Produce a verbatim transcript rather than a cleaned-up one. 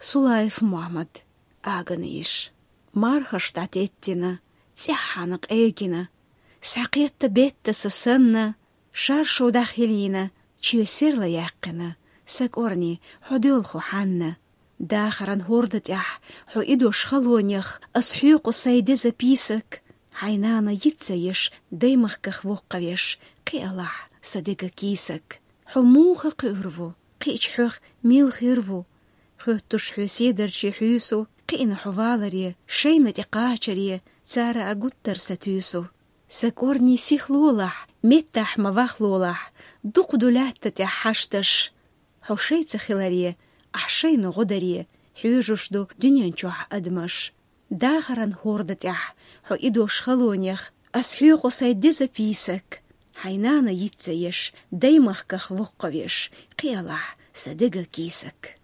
Сулаев Мохьмад. Агана йиш. Мархаш дӀатеттина, цӀеххьана къегина, схьакхетта бетта са санна, шаршу дӀахьилийна, чоь серла яьккхина, са кӀорни, хьо доьлху хьанна. Дахаран хӀорда тӀехь, хьо идош халонех, ас хьоькъу сай деза пийсак, хьайн нана йицца еш, даймахках воккхавеш, кхиалахь са дега кийсак. Хьо муха кхуьур ву, кхиъча хьох мел хир ву? Хоьттуш хьоь седарчий хьуьйсу, кхиъна хьо валаре, шайна тӀе кхачаре, цара а гуттар са туьйсу. Са кӀорни сихлолахь, меттахь ма вахлолахь, дукха ду лаьтта тӀехь хьашташ. Хьо шайца хиларе, ахь шайна гӀо даре, хьоьжуш ду дуьнен чохь адамаш. Дахаран хӀорда тӀехь, хьо идош халонех, ас хьоькъу сай деза пийсак, хьайн нана йицца еш, даймахках воккхавеш, кхиалахь са дега кийсак.